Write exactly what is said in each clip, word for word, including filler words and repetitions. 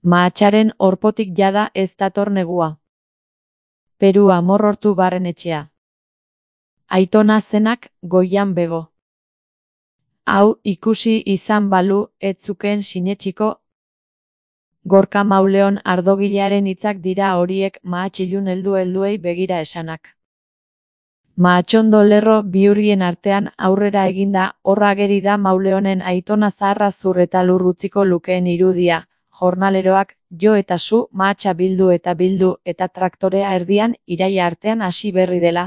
Mahatxaren orpotik jada ez dator negua. Perua morrortu barren etxea. Aitona zenak goian bego. Hau ikusi izan balu ez zukeen sinetsiko. Gorka Mauleon ardogilearen hitzak dira horiek mahatxilun heldu helduei begira esanak. Mahatxondo lerro bihurrien artean aurrera eginda horra ageri da Mauleonen aitona zaharra zur eta lur utziko lukeen irudia. Jornaleroak jo eta zu mahatxa bildu eta bildu eta traktorea erdian iraila artean hasi berri dela.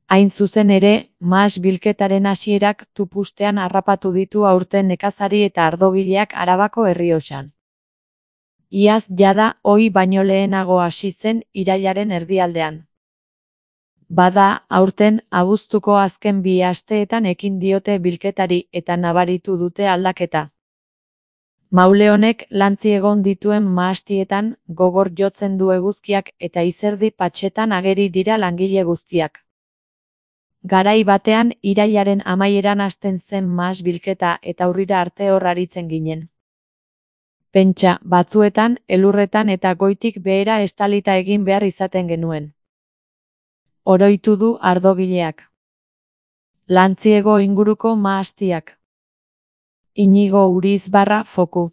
Hain zuzen ere, mahas bilketaren hasierak tupustean harrapatu ditu aurten nekazari eta ardogileak Arabako Errioxan. Iaz jada ohi baino lehenago hasi zen irailaren erdialdean. Bada, aurten abuztuko azken bi asteetan ekin diote bilketari eta nabaritu dute aldaketa. Mauleonek lantzi egon dituen mahastietan gogor jotzen du eguzkiak eta izerdi patxetan ageri dira langile guztiak. Garai batean irailaren amaieran hasten zen mahas bilketa eta urrira arte hor aritzen ginen. Pentsa, batzuetan, elurretan eta goitik behera estalita egin behar izaten genuen. Oroitu du ardogileak. Lantziego inguruko mahastiak. Inigo Urizbarra foku.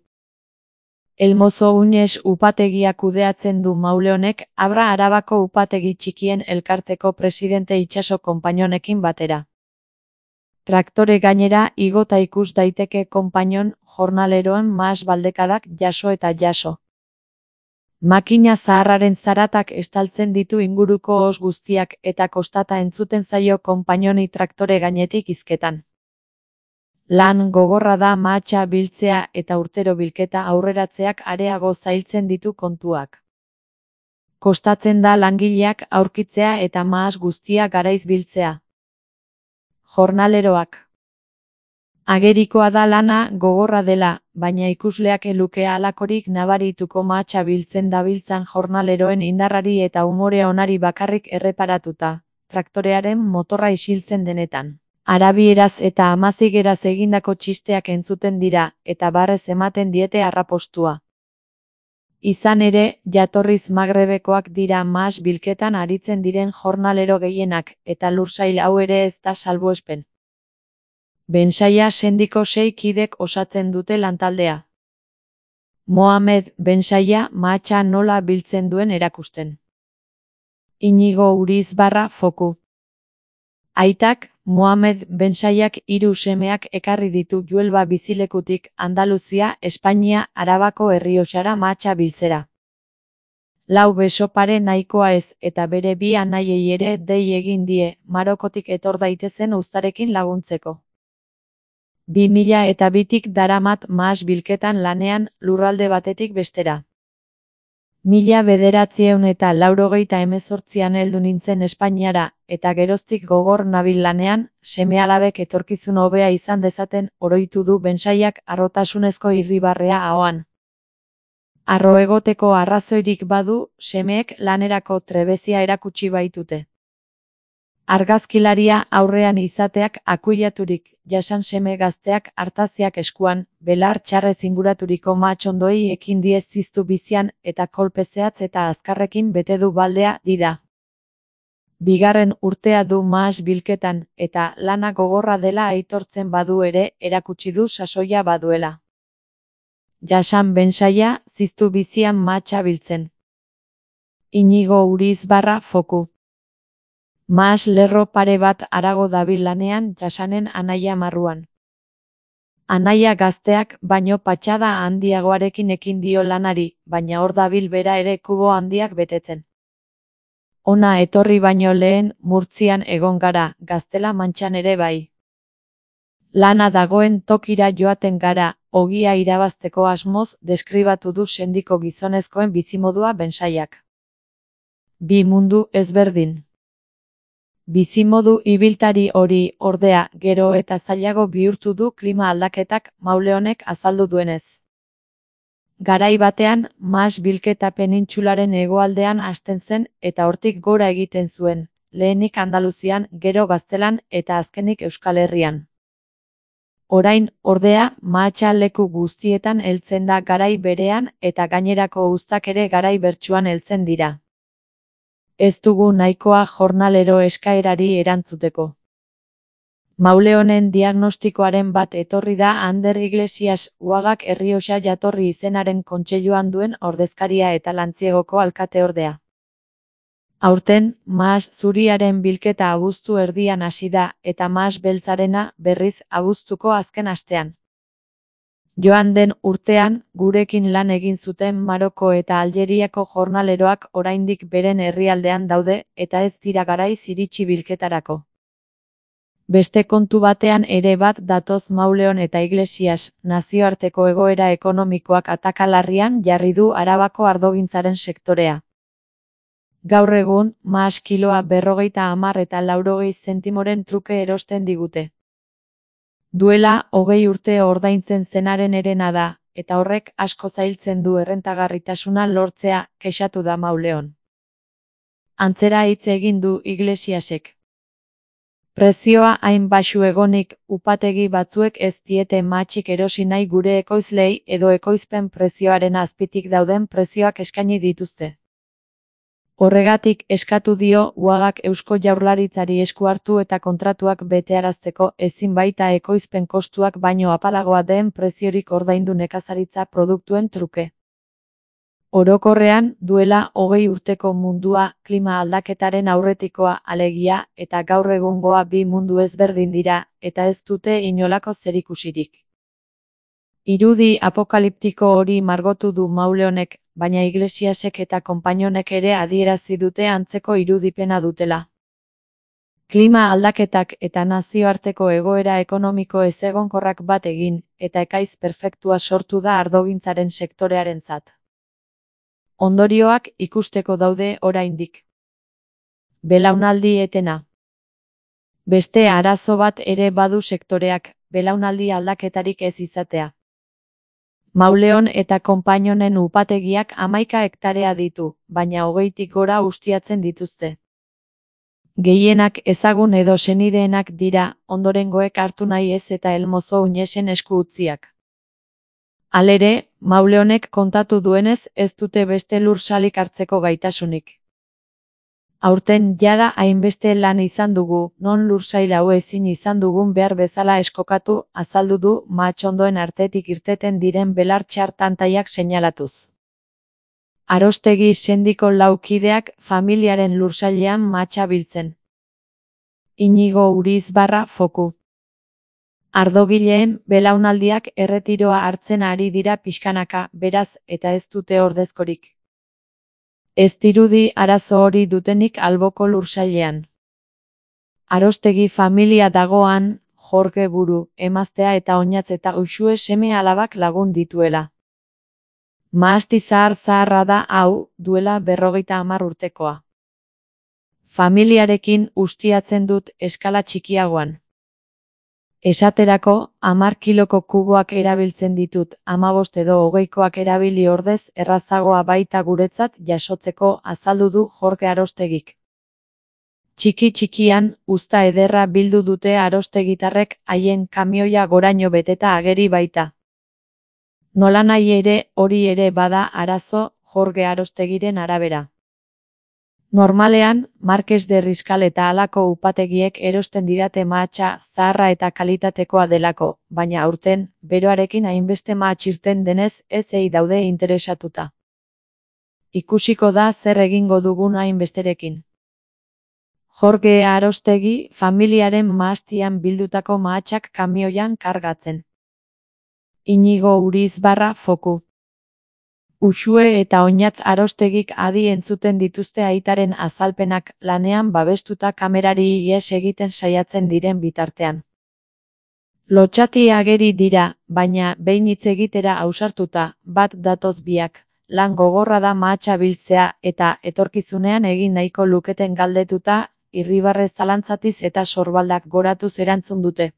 Elmozo Uñez upategia kudeatzen du Mauleonek Abra Arabako upategi txikien elkarteko presidente itsaso konpainonekin batera. Traktore gainera igota ikus daiteke konpainon jornaleroen mahas baldekadak jaso eta jaso. Makina zaharraren zaratak estaltzen ditu inguruko os guztiak eta kostata entzuten zaio konpainoni traktore gainetik hizketan. Lan gogorra da mahatxa biltzea eta urtero bilketa aurreratzeak areago zailtzen ditu kontuak. Kostatzen da langileak aurkitzea eta mahas guztia garaiz biltzea. Jornaleroak. Agerikoa da lana gogorra dela, baina ikusleak eluke halakorik nabarituko mahatxa biltzen dabiltzan jornaleroen indarrari eta umore onari bakarrik erreparatuta, traktorearen motorra isiltzen denetan. Arabieraz eta amazigeraz egindako txisteak entzuten dira, eta barrez ematen diete arrapostua. Izan ere, jatorriz Magrebekoak dira mahas bilketan aritzen diren jornalero gehienak, eta lursail hau ere ez da salbuespen. Bensaia sendiko sei kidek osatzen dute lantaldea. Mohamed Bensaia mahatxa nola biltzen duen erakusten. Inigo Urizbarra foku. Aitak, Mohamed Bensaiak hiru semeak ekarri ditu Juelba bizilekutik Andaluzia, Espainia, Arabako Errioxara mahatxa biltzera. Lau beso pare nahikoa ez eta bere bi anaiei ere dei egin die, Marokotik etor daitezen uztarekin laguntzeko. Bi mila eta bitik daramat mahas bilketan lanean lurralde batetik bestera. Mila bederatzieun eta laurogeita hemezortzian heldu nintzen Espainiara, eta geroztik gogor nabil lanean, seme-alabek etorkizun hobea izan dezaten oroitu du Bensaiak harrotasunezko irribarrea ahoan. Harro egoteko arrazoirik badu, semeek lanerako trebezia erakutsi baitute. Argazkilaria aurrean izateak akuilaturik, jasan seme gazteak artaziak eskuan, belar txarrez inguraturiko mahatxondoi ekin die ziztu bizian eta kolpe zehatz eta azkarrekin bete du baldea dida. Bigarren urtea du mahas bilketan, eta lana gogorra dela aitortzen badu ere erakutsi du sasoia baduela. Jasan Bensaia ziztu bizian mahatxa biltzen. Inigo Urizbarra foku. Mahas lerro pare bat harago dabil lanean Jasanen anaia marruan. Anaia gazteak baino patxada handiagoarekin ekin dio lanari, baina hor dabil bera ere kubo handiak betetzen. Ona etorri baino lehen Murtzian egon gara, Gaztela Mantxan ere bai. Lana dagoen tokira joaten gara, ogia irabazteko asmoz deskribatu du sendiko gizonezkoen bizimodua Bensaiak. Bi mundu ezberdin. Bizimodu ibiltari hori, ordea, gero eta zailago bihurtu du klima aldaketak Mauleonek azaldu duenez. Garai batean, mahas bilketa penintsularen hegoaldean hasten zen eta hortik gora egiten zuen, lehenik Andaluzian, gero Gaztelan eta azkenik Euskal Herrian. Orain, ordea, mahatsa leku guztietan heltzen da garai berean eta gainerako uztak ere garai bertsuan heltzen dira. Ez dugu nahikoa jornalero eskaerari erantzuteko. Mauleonen diagnostikoaren bat etorri da Ander Iglesias Uagak Errioxa jatorri izenaren kontseiluan duen ordezkaria eta Lantziegoko alkateordea. Aurten, mahas zuriaren bilketa abuztu erdian hasi da eta mahas beltzarena berriz abuztuko azken astean. Joan den urtean, gurekin lan egin zuten Maroko eta Aljeriako jornaleroak oraindik beren herrialdean daude eta ez dira garaiz iritsi bilketarako. Beste kontu batean ere bat datoz Mauleon eta Iglesias, nazioarteko egoera ekonomikoak atakalarrian jarri du Arabako ardogintzaren sektorea. Gaur egun, mahas kiloa berrogeita hamar eta laurogei zentimoren truke erosten digute. Duela, hogei urte ordaintzen zenaren herena da, eta horrek asko zailtzen du errentagarritasuna lortzea, kexatu da Mauleon. Antzera hitz egin du Iglesiasek. Prezioa hain baxu egonik, upategi batzuek ez diete mahatzik erosi nahi gure ekoizlei edo ekoizpen prezioaren azpitik dauden prezioak eskaini dituzte. Horregatik eskatu dio Uagak Eusko Jaurlaritzari esku hartu eta kontratuak betearazteko ezin baita ekoizpen kostuak baino apalagoa den preziorik ordaindu nekazaritza produktuen truke. Orokorrean, duela hogei urteko mundua, klima aldaketaren aurretikoa alegia eta gaur egungoa bi mundu ezberdin dira, eta ez dute inolako zerikusirik. Irudi apokaliptiko hori margotu du Mauleonek, baina Iglesiasek eta konpainonek ere adierazi dute antzeko irudipena dutela. Klima aldaketak eta nazioarteko egoera ekonomiko ezegonkorrak bat egin, eta ekaiz perfektua sortu da ardogintzaren sektorearentzat. Ondorioak ikusteko daude oraindik. Belaunaldi etena. Beste arazo bat ere badu sektoreak, belaunaldi aldaketarik ez izatea. Mauleon eta konpainonen upategiak hamaika hektarea ditu, baina hogeitik gora ustiatzen dituzte. Gehienak ezagun edo senideenak dira, ondorengoek hartu nahi ez eta Elmozo Uñesen esku utziak. Halere, Mauleonek kontatu duenez ez dute beste lursalik hartzeko gaitasunik. Aurten jada hainbeste lan izan dugu, non lursail hau ezin izan dugun behar bezala eskokatu, azaldu du mahatxondoen artetik irteten diren belar txar tantaiak seinalatuz. Arostegi sendiko laukideak familiaren lursailean mahatsa biltzen. Inigo Urizbarra Foku. Ardogileen belaunaldiak erretiroa hartzen ari dira pixkanaka, beraz, eta ez dute ordezkorik. Ez dirudi arazo hori dutenik alboko lursailean. Arostegi familia dagoan, Jorge buru, emaztea eta oinatz eta uxue seme alabak lagun dituela. Mahasti zahar zaharra da hau, duela berrogeita hamar urtekoa. Familiarekin ustiatzen dut eskala txikiagoan. Esaterako, hamar kiloko kuboak erabiltzen ditut, hamabost edo hogeikoak erabili ordez errazagoa baita guretzat jasotzeko, azaldu du Jorge Arostegik. Txiki txikian, uzta ederra bildu dute arostegitarrek haien kamioia goraino beteta ageri baita. Nolanahi ere, hori ere bada arazo, Jorge Arostegiren arabera. Normalean, Marques de Riscal eta halako upategiek erosten didate mahatsa zaharra eta kalitatekoa delako, baina aurten, beroarekin hainbeste mahats irten denez ez ei daude interesatuta. Ikusiko da zer egingo dugun hainbesterekin. Jorge Arostegi familiaren mahastian bildutako mahatsak kamioian kargatzen. Inigo Urizbarra Foku. Uxue eta oinatz Arostegik adi entzuten dituzte aitaren azalpenak lanean babestuta kamerari ihes egiten saiatzen diren bitartean. Lotxati ageri dira, baina behin hitz egitera ausartuta, bat datoz biak, lan gogorra da mahatsa biltzea eta etorkizunean egin nahiko luketen galdetuta, irribarre zalantzatiz eta sorbaldak goratuz erantzun dute.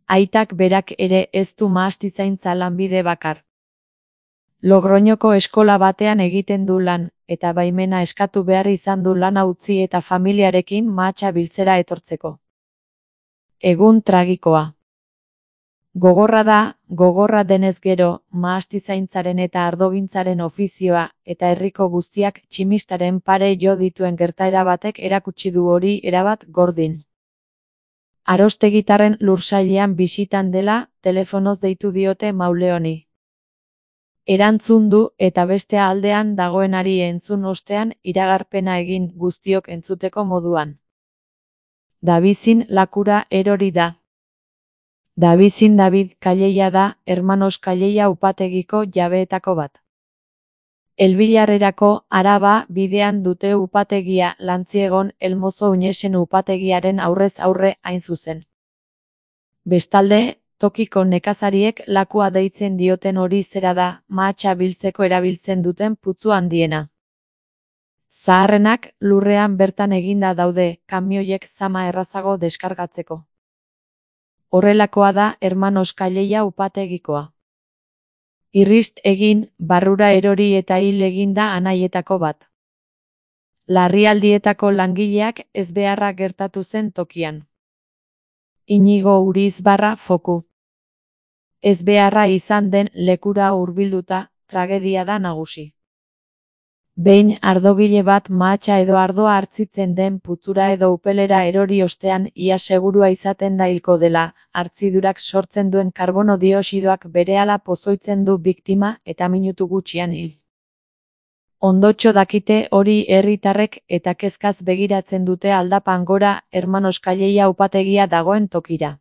Aitak berak ere ez du mahastizaintza lanbide bakar. Logroñoko eskola batean egiten du lan, eta baimena eskatu behar izan du lana utzi eta familiarekin mahatsa biltzera etortzeko. Egun tragikoa. Gogorra da, gogorra denez gero, mahastizaintzaren eta ardogintzaren ofizioa, eta herriko guztiak tximistaren pare jo dituen gertaera batek erakutsi du hori erabat gordin. Arostegitarren lursailean bisitan dela, telefonoz deitu diote Mauleoni. Erantzun du eta beste aldean dagoenari entzun ostean iragarpena egin guztiok entzuteko moduan. Dabizin lakura erori da. Dabizin David Calleia da, Hermanos Calleia upategiko jabeetako bat. Elbilarrerako Araba bidean dute upategia Lantziegon Elmozo Uñesen upategiaren aurrez aurre hain zuzen. Bestalde, tokiko nekazariek lakua deitzen dioten hori zera da, mahatsa biltzeko erabiltzen duten putzu handiena. Zaharrenak lurrean bertan eginda daude, kamioiek zama errazago deskargatzeko. Horrelakoa da Hermanos Calleia upategikoa. Irrist egin, barrura erori eta hil eginda anaietako bat. Larrialdietako langileak ezbeharra gertatu zen tokian. Inigo Urizbarra foku. Ezbeharra izan den lekura hurbilduta, tragedia da nagusi. Behin ardogile bat mahatsa edo ardoa hartzitzen den putzura edo upelera erori ostean ia segurua izaten da hilko dela, hartzidurak sortzen duen karbono dioxidoak berehala pozoitzen du biktima eta minutu gutxian hil. Ondotxo dakite hori herritarrek eta kezkaz begiratzen dute aldapan gora Hermanos Calleia upategia dagoen tokira.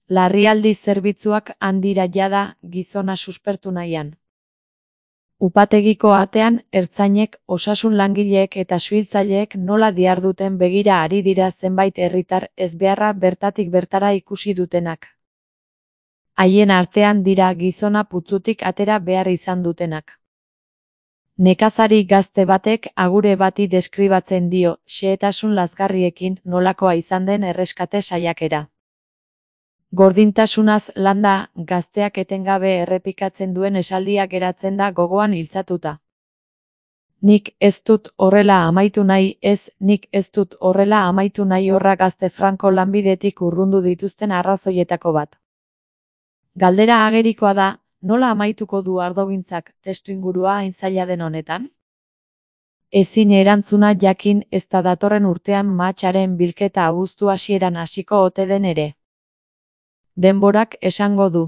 Larrialdi zerbitzuak handira jada gizona suspertu nahian. Upategiko atean, ertzainek, osasun langileek eta suhiltzaileek nola diharduten begira ari dira zenbait herritar ezbeharra bertatik bertara ikusi dutenak. Haien artean dira gizona putzutik atera behar izan dutenak. Nekazari gazte batek agure bati deskribatzen dio, xehetasun lazgarriekin nolakoa izan den erreskate saiakera. Gordintasunaz landa, gazteak etengabe errepikatzen duen esaldia geratzen da gogoan iltzatuta. Nik ez dut horrela amaitu nahi, ez, nik ez dut horrela amaitu nahi horra gazte franko lanbidetik urrundu dituzten arrazoietako bat. Galdera agerikoa da, nola amaituko du ardogintzak testuingurua hain zaila den honetan? Ezin erantzuna jakin ez da datorren urtean mahatsaren bilketa abuztu hasieran hasiko ote den ere. Denborak esango du.